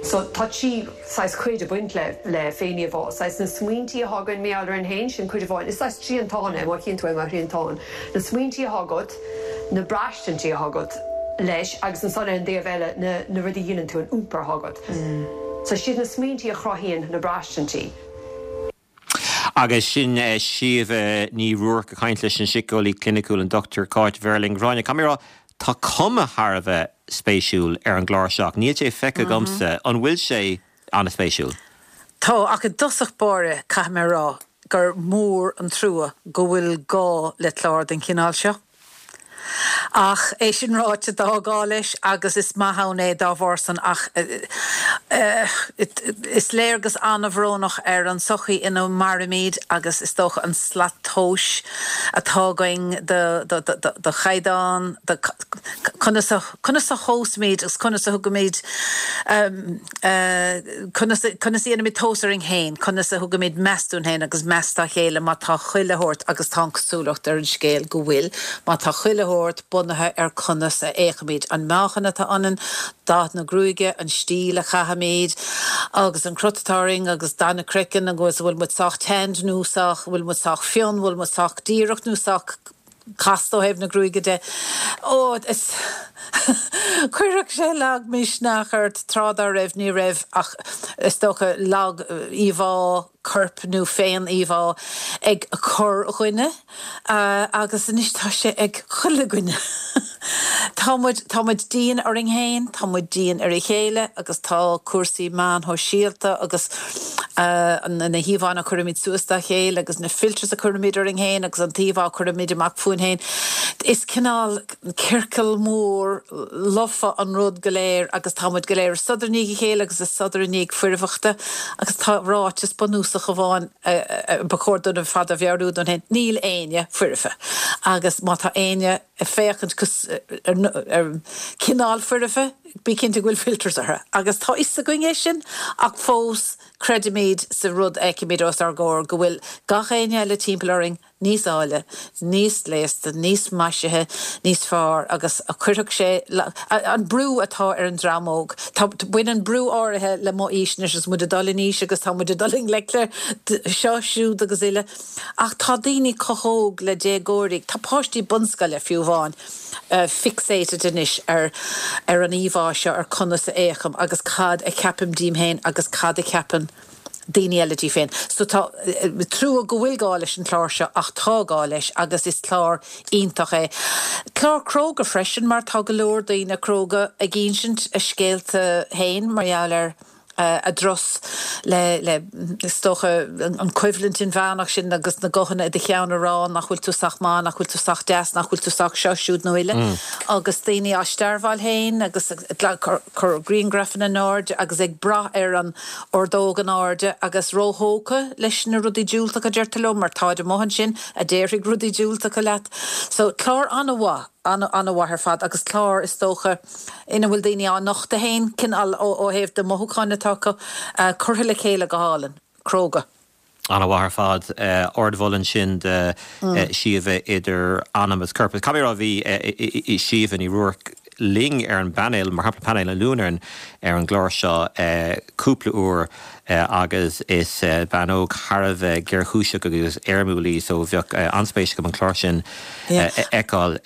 S8: So tá trí saghas cuid ag baint le le féin-íomhá, saghas na smaointí atá againn mar gheall orainn féin, sin cuid amháin. Is saghas triantán é, má chíonn tú é mar thriantán. Na smaointí atá agat, na braistintí atá agat leis agus ansan ar an dtaobh eile na na rudaí a dhéanann tú, an iompar atá agat. So siad na smaointí a chruthaíonn na braistintí.
S1: Agus sin Síomha Ní Ruairc ag caint leis an síceolaí cliniciúil an Dr Cáit Verling. Gráinne, caithfidh mé a rá, tá cuma thar a bheith spéisiúil ar an gclár seo ach níl sé feicthe agamsa. An bhfuil sé an-spéisiúil?
S6: Tá, ach i dtosach báire, caithfidh mé a rá gur mór an trua go bhfuil gá le clár den chineál seo. Ach é sin ráite, tá gá leis agus is maith ann é dá bharr san ach is léargas an-bhrónach ar an tsochaí ina mairimid agus is dócha an slat tomhais atá againn do chaighdeán, do conas a conas a thomhaisimid agus conas a thugaimid conas a conas a dhéanaimid tomhas orainn féin, conas a thugaimid meas dúinn féin agus meas dá chéile má tá chuile shórt, agus tá an cosúlacht ar an scéal go bhfuil, má tá chuile shórt bunaithe ar conas a fhéachaimid, an meáchan atá ionainn, dath na gruaige, an stíl a chaithimid agus an crut atá orainn agus dath na croiceann agus an bhfuil muid sách tanned nó sách, bhfuil muid sách fionn, bhfuil muid sách díreach nó sách casta ó thaobh na gruaige de. Ó, is chuirfeadh sé lagmhisneach ort tráth dá raibh, ní raibh ach is dócha lag-íomhá coirp nó féin-íomhá ag corrdhuine agus anois tá sé ag chuile dhuine. Tá muid, tá muid dian orainn féin, tá muid dian ar a chéile agus tá cúrsaí meáin shóisialta agus na híomhánna a chuirimid suas dá chéile agus na filters a chuirimid orainn féin agus an t-íomhá a chuirimid amach fúinn féin, is cineál ciorcal mór lofa an rud go léir agus tá muid go léir ag sodar i ndiaidh a chéile agus ag sodar i ndiaidh foirfeachta agus tá ráiteas bunúsach amháin ba chóir dúinn ar fad a mheabhrú dúinn féin, níl éinne foirfe agus má tá éinne ag féachaint ar cineál foirfe, bí cinnte go bhfuil filters orthu. Agus tá fhios againn é sin ach fós creidimid sa rud a fheicimid os ár gcomhair, go bhfuil gach éinne eile timpeall orainn níos áille, níos gléasta, níos maisithe, níos fearr agus chuirfeadh sé an brú atá ar an dream óg. Tá, baineann brú áirithe le mo aois anois agus muid ag dul in aois agus tá muid ag dul i ngleic le seo, siúd agus uile. Ach tá daoine chomh hóg le déagóirí, tá páistí bunscoile fiú amháin, fixated anois ar ar an íomhá seo, ar conas a fhéachaim agus cad a cheapaim díom féin agus cad a cheapann daoine eile díobh féin. So tá trua go bhfuil gá leis an chlár seo ach tá gá leis agus is clár iontach é. Clár cróga freisin mar tá go leor daoine cróga ag insint a scéalta féin mar gheall ar a dturas le, le, is dócha, an choimhlint inmheánach sin agus na guthanna i do cheann a rá nach bhfuil tú sách maith, nach bhfuil tú sách deas, nach bhfuil tú sách seo, siúd nó uile. Agus daoine á stearbháil féin agus ag cur grianghrafanna in airde agus ag brath ar an ordóg in airde agus róthógtha leis na rudaí diúltacha, deirtear leo, mar táid amuigh ansin a déarfaidh rudaí diúltacha leat. So, clár an-mhaith. An-mhaith ar fad agus clár, is dócha, ina bhfuil daoine á nochtadh féin, cineál ó thaobh na mothúcháin atá acu, curtha le chéile go hálainn. Cróga.
S1: An-mhaith ar fad. Ardmholadh ansin do Síomha idir anam agus corp. Caithfidh mé a rá bhí Síomha Ní Ruairc linn ar an bpainéal, mar shampla painéal an Luain ar an gclár seo cúpla uair agus is bean óg thar a bheith géarchúiseach agus éirmiúil í so bheadh an-spéis agam an clár sin a fheiceáil.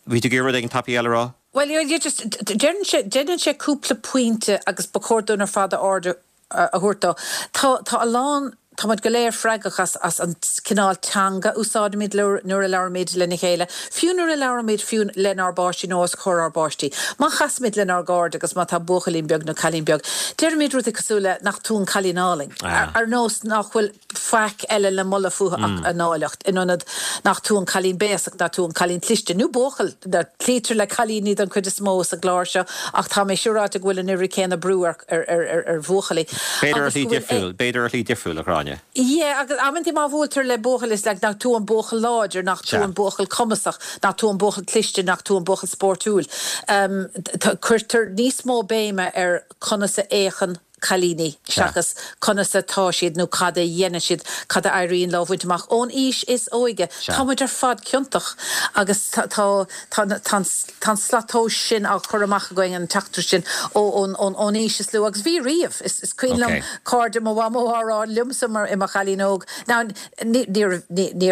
S1: Bhí tú ag iarraidh rud éigin tapaidh eile a rá?
S6: Bhuel, yeah, just, deireann sé, déanann sé cúpla pointe agus ba chóir dúinn ar fad aird a thabhairt dó. Tá, tá a lán, tá muid go léir freagrach as, as an cineál teanga a úsáidimid nuair a labhraímid lena chéile, fiú nuair a labhraímid fiú lenár bpáistí nó os comhair ár bpáistí. Má chasaimid lenár gcairde agus má tá buachaillín beag nó cailín beag, deirimid rudaí cosúil le 'nach tú an cailín álainn', ar nós nach bhfuil faic eile le moladh fúthu ach a n-áilleacht, in ionad 'nach tú an cailín béasach, nach tú an cailín cliste', nó buachaill, cloítear le cailíní don chuid is mó sa gclár seo ach tá mé siúráilte go bhfuil an oiread céanna brú ar ar bhuachaillí.
S1: B'fhéidir ar shlí difriúil, b'fhéidir ar shlí difriúil, a Ghráinne.
S6: Yeah, agus amantaí má bhuailtear le buachaill is like nach tú an buachaill láidir, nach tú an buachaill cumasach, nach tú an buachaill cliste, nach tú an buachaill spórtúil. Cuirtear níos mó béime ar conas a fhéachann cailíní seachas conas atá siad nó cad a dhéanann siad, cad a éiríonn leo a bhaint amach ón aois is óige. Tá muid ar fad ciontach agus tá tá tá Tá an slat tomhais sin á chur amach againn, an teachtaireacht sin, ón aois is lú. Agus bhí riamh. Is cuimhin liom cairde mo mhamó á rá liomsa mar i mo chailín óg. Now, níor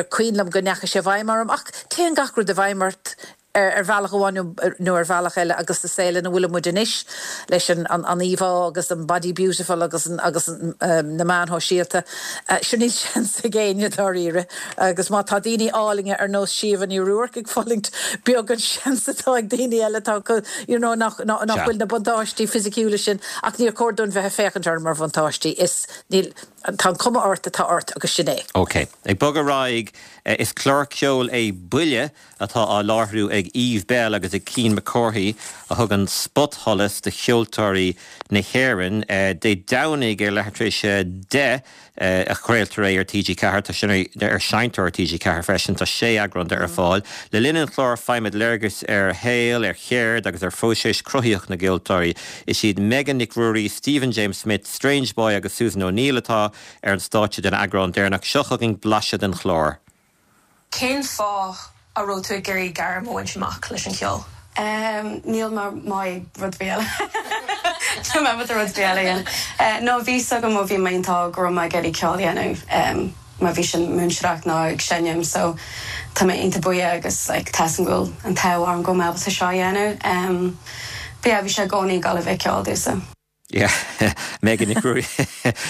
S6: cuimhin liom go ndeachaigh sé i bhfeidhm orm, ach téann gach rud i bhfeidhm ort ar bhealach amháin nó ar bhealach eile agus sa saol ina bhfuil muid anois, leis an íomhá agus an body beautiful agus agus na meáin shóisialta, sure níl seans ag éinne dáiríre. Agus má tá daoine álainne ar nós Síomha Ní Ruairc ag fulaingt, beag an seans atá ag daoine eile atá acu, you know, nach bhfuil na buntáistí fisiciúla sin. Ach níor chóir dúinn bheith ag féachaint orthu mar bhuntáistí. Is, níl, tá an cuma ort atá ort agus sin é.
S1: Ok. Ag bogadh ar aghaidh, is clár ceoil é Buile atá á láithriú ag Eve Belle agus ag Cian Mac Cárthaigh a thugann spotsholas do cheoltóirí na hÉireann. Dé Domhnaigh ar leathuair tar éis 10 a chraoltar é ar TG4. Tá sé ar seinnteoir TG4 freisin. Tá sé eagrán de ar fáil. Le linn an chláir faighimid léargas ar shaol, ar cheird agus ar phróiseas cruthaitheach na gceoltóirí. Is iad Megan Nic Ruairí, Stephen James Smith, Strange Boy agus Susan O'Neill atá ar an stáitse don eagrán deireanach. Seo chugainn blaiseadh den chlár.
S7: Cén fáth a raibh tú ag iarraidh gairm a bhaint amach leis an cheol?
S9: Níl mé maith ag rud ar bith eile. Níl mé ábalta rud ar bith eile a dhéanamh. No, bhí 'fhios agam ó bhí mé iontach óg go raibh mé ag iarraidh ceol a dhéanamh. Má bhí sin múinteoireacht nó ag seinm so tá mé iontach buíoch agus like tá 'fhios agam go bhfuil an t-ádh orm go bhfuil mé ábalta seo a dhéanamh. But yeah, bhí sé i gcónaí ag dul a bheith ceol domhsa.
S1: Yeah. Megan Nic Ruairí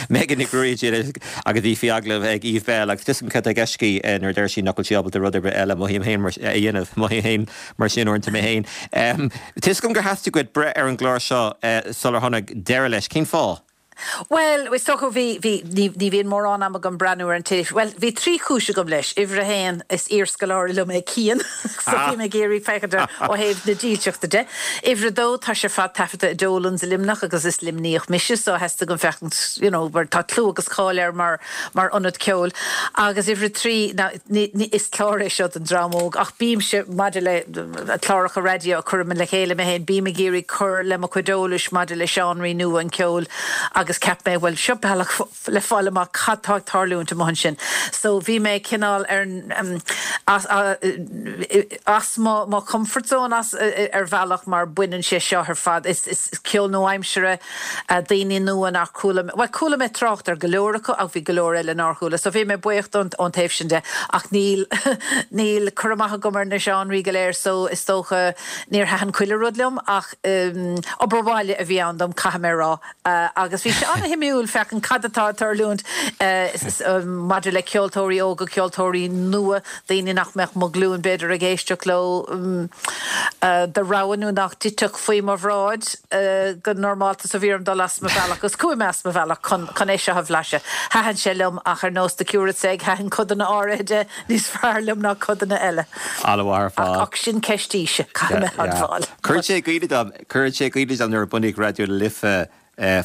S1: Megan Nic Ruairí ansin agus í faoi agallamh ag Eve Belle agus tuigim cad tá i gceist aici nuair a deir sí nach bhfuil sí ábalta rud ar bith eile, mothaím féin mar a dhéanamh, mothaím féin mar sin uaireanta mé féin. Tá 'fhios agam gur theastaigh uait breith ar an gclár seo sular tháinig deireadh leis. Cén fáth?
S6: Bhuel, is dócha, bhí, bhí, ní, ní bhíonn mórán ama agam breathnú ar an teilifís. Bhuel, bhí trí chúis agam leis. Uimhir a haon, is iarscoláire liom é Cian, so bhí mé ag iarraidh féachaint air ó thaobh na dílseachta de. Uimhir a dó, tá sé ar fad taifeadta i Dolan's i Luimneach agus is Luimníoch mise, so theastaigh uaim féachaint, you know, mar tá clú agus cáil air mar, mar ionad ceoil. Agus uimhir a trí, ná, ní, ní, is clár é seo don dream óg, ach bímse, maidir le cláracha raidió a chuirim le chéile mé féin, bím ag iarraidh cur le mo chuid eolais maidir le seánraí nua an cheoil agus cheap mé, bhuel, seo bealach le fáil amach cad tá ag tarlúint amuigh ansin. So bhí mé cineál ar as as mo mo comfort zone as ar bhealach mar baineann sé seo ar fad, is is ceol nua-aimseartha, daoine nua nár chuala mé, bhuel chuala mé trácht ar go leor acu ach bhí go leor eile nár chuala so bhí mé buíoch don ón taobh sin de ach níl níl cur amach agam ar na seánraí go léir so is dócha níor thaitin chuile rud liom ach obair bhaile a bhí ann dom caithfidh mé a rá agus bhí sé an-shuimiúil féachaint cad atá ag tarlúint maidir le ceoltóirí óga, ceoltóirí nua. daoine nach mbeadh mo ghlúin b'fhéidir ag éisteacht leo de rogha nó nach dtitfeadh faoi mo bhráid go normálta so bhí orm dul as mo bhealach agus chuaigh mé as mo bhealach chun chun é seo a bhlaiseadh. Thaitin sé liom ach ar nós The Cure It's Egg thaitin codanna áirithe de níos fearr liom ná codanna eile.
S1: An-mhaith ar fad.
S6: Ach sin ceist aoise, caithfidh mé a admháil.
S1: Cuireann sé i gcuimhne dom, cuireann sé i gcuimhne dom nuair a bunaíodh Raidió na Life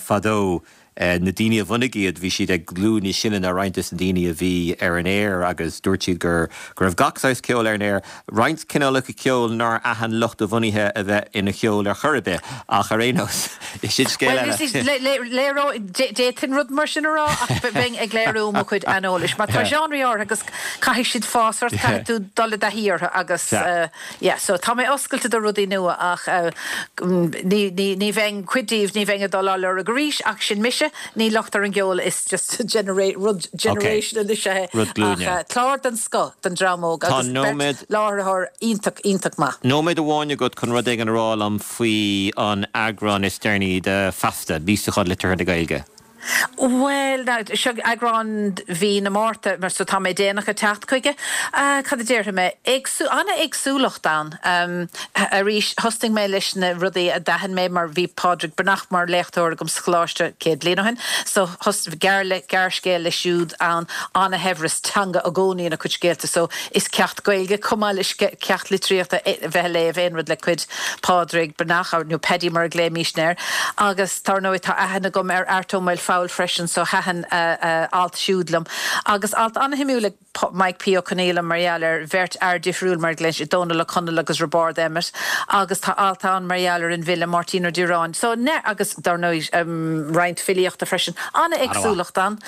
S1: fadó, Na daoine a bhunaigh iad, bhí siad ag glúin níos sine ná roinnt des na daoine a bhí ar an aer agus dúirt siad gur go raibh gach saghas ceoil ar an aer, roinnt cineálacha ceoil nár aithin lucht a bhunaithe a bheith ina cheol ar chor ar bith, ach ar aon nós, sin scéal eile.
S6: Bhuel, d'fhéadfainn rud mar sin a rá ach bheinn ag léiriú mo chuid aineolais mar tá seánraí áirithe agus caithfidh siad fás ort, caithfidh tú dul i dtaithí orthu agus. Yeah, so tá mé oscailte do rudaí nua ach ní, ní, ní bheinn, cuid díobh, ní bheinn ag dul á lorg arís ach sin mise, ní locht ar an gceol, is just genera-, rud generational is ea é.
S1: Rud glúine.
S6: Ach clár den scoth don dream óg
S1: Tá
S6: agus beirt
S1: nóiméad.
S6: láithreoir iontach, iontach maith.
S1: Nóiméad amháin agat chun rud éigin a rá liom faoi an eagrán is deireanaí de Feasta, Míosachán Liteartha na Gaeilge.
S6: Bhuel, now, seo eagrán mhí na Márta, mar so tá mé déanach ag teacht chuige. Cad a déarfaidh mé? Éagsú-, an-éagsúlacht ann. Arís, thosnaigh mé leis na rudaí a d'aithin mé mar bhí Pádraig Breathnach mar léachtóir agam sa choláiste 100 bliain ó shin, so thos-, gearr-, gearrscéal leis siúd ann, an-shaibhreas teanga i gcónaí ina chuid scéalta, so is ceacht Gaeilge chomh maith le ceacht litríochta a bheith ag léamh aon rud le cuid Pádraig Breathnach, nó Paddy mar a ghlaoimísne air, agus. Dar ndóigh tá aithne agam ar Art Ó Maolfabhail freisin so thaitin a alt siúd liom. Agus alt an-shuimiúil ag Mike P. Ó Conghaile mar gheall ar bheirt fhear difriúil mar a ghlaonn sé, Dónal Ó Conaill agus Roibeárd Emmet. Agus tá alt ann mar gheall ar an bhfile Máirtín Ó Direáin. So, agus dar ndóigh roinnt filíochta freisin. An-éagsúlacht ann.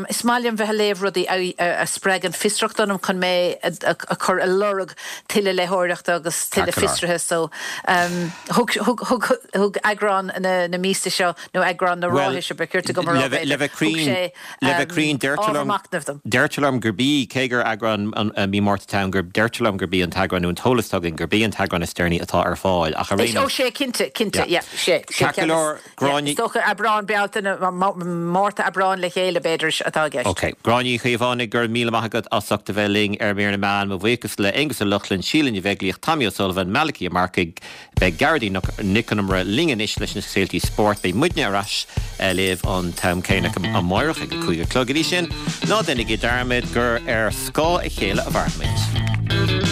S6: Is maith liom bheith ag léamh rudaí a spreagann fiosracht ionam chun mé a chur ag lorg tuilleadh léitheoireachta agus tuilleadh fiosraithe so thug, thug, thug, thug eagrán na, na míosa seo, nó eagrán na ráithe seo ba chirte dom a rá
S1: b'fhéidir, thug sé
S6: Le bheith cruinn,
S1: deirtear
S6: ábhar machnaimh dom.
S1: Deirtear liom gurb í, cé gur eagrán mí Márta atá ann, gur, deirtear liom gurb í an t-eagrán, nó an t-eolas atá againn, gurb í an t-eagrán is deireanaí atá ar fáil, ach ar aon
S6: nós. Ó, sé, cinnte, cinnte, yeah, sé, sé
S1: Ceart go leor.
S6: Gráinne. Is dócha Aibreán, Bealtaine, Márta, Aibreán le chéile, b'fhéidir, atá i gceist.
S1: Ok. Gráinne Uí Chaomhánaigh, go raibh míle maith agat as ucht a bheith linn ar Mír na Meán. Mo bhuíochas le Aonghus Ó Lochlainn, Síle Ní Bheaglaoich, Tommy O'Sullivan, Malachy Ó Marcaigh. Beidh Gearóidín Nic Con Iomaire linn anois leis na scéaltaí spóirt. Beidh muidne ar ais libh an t-am céanna amáireach ag a 5 a chlog. Go dtí sin, ná déanaigí dearmad gur ar scáth a chéile a mhairimid.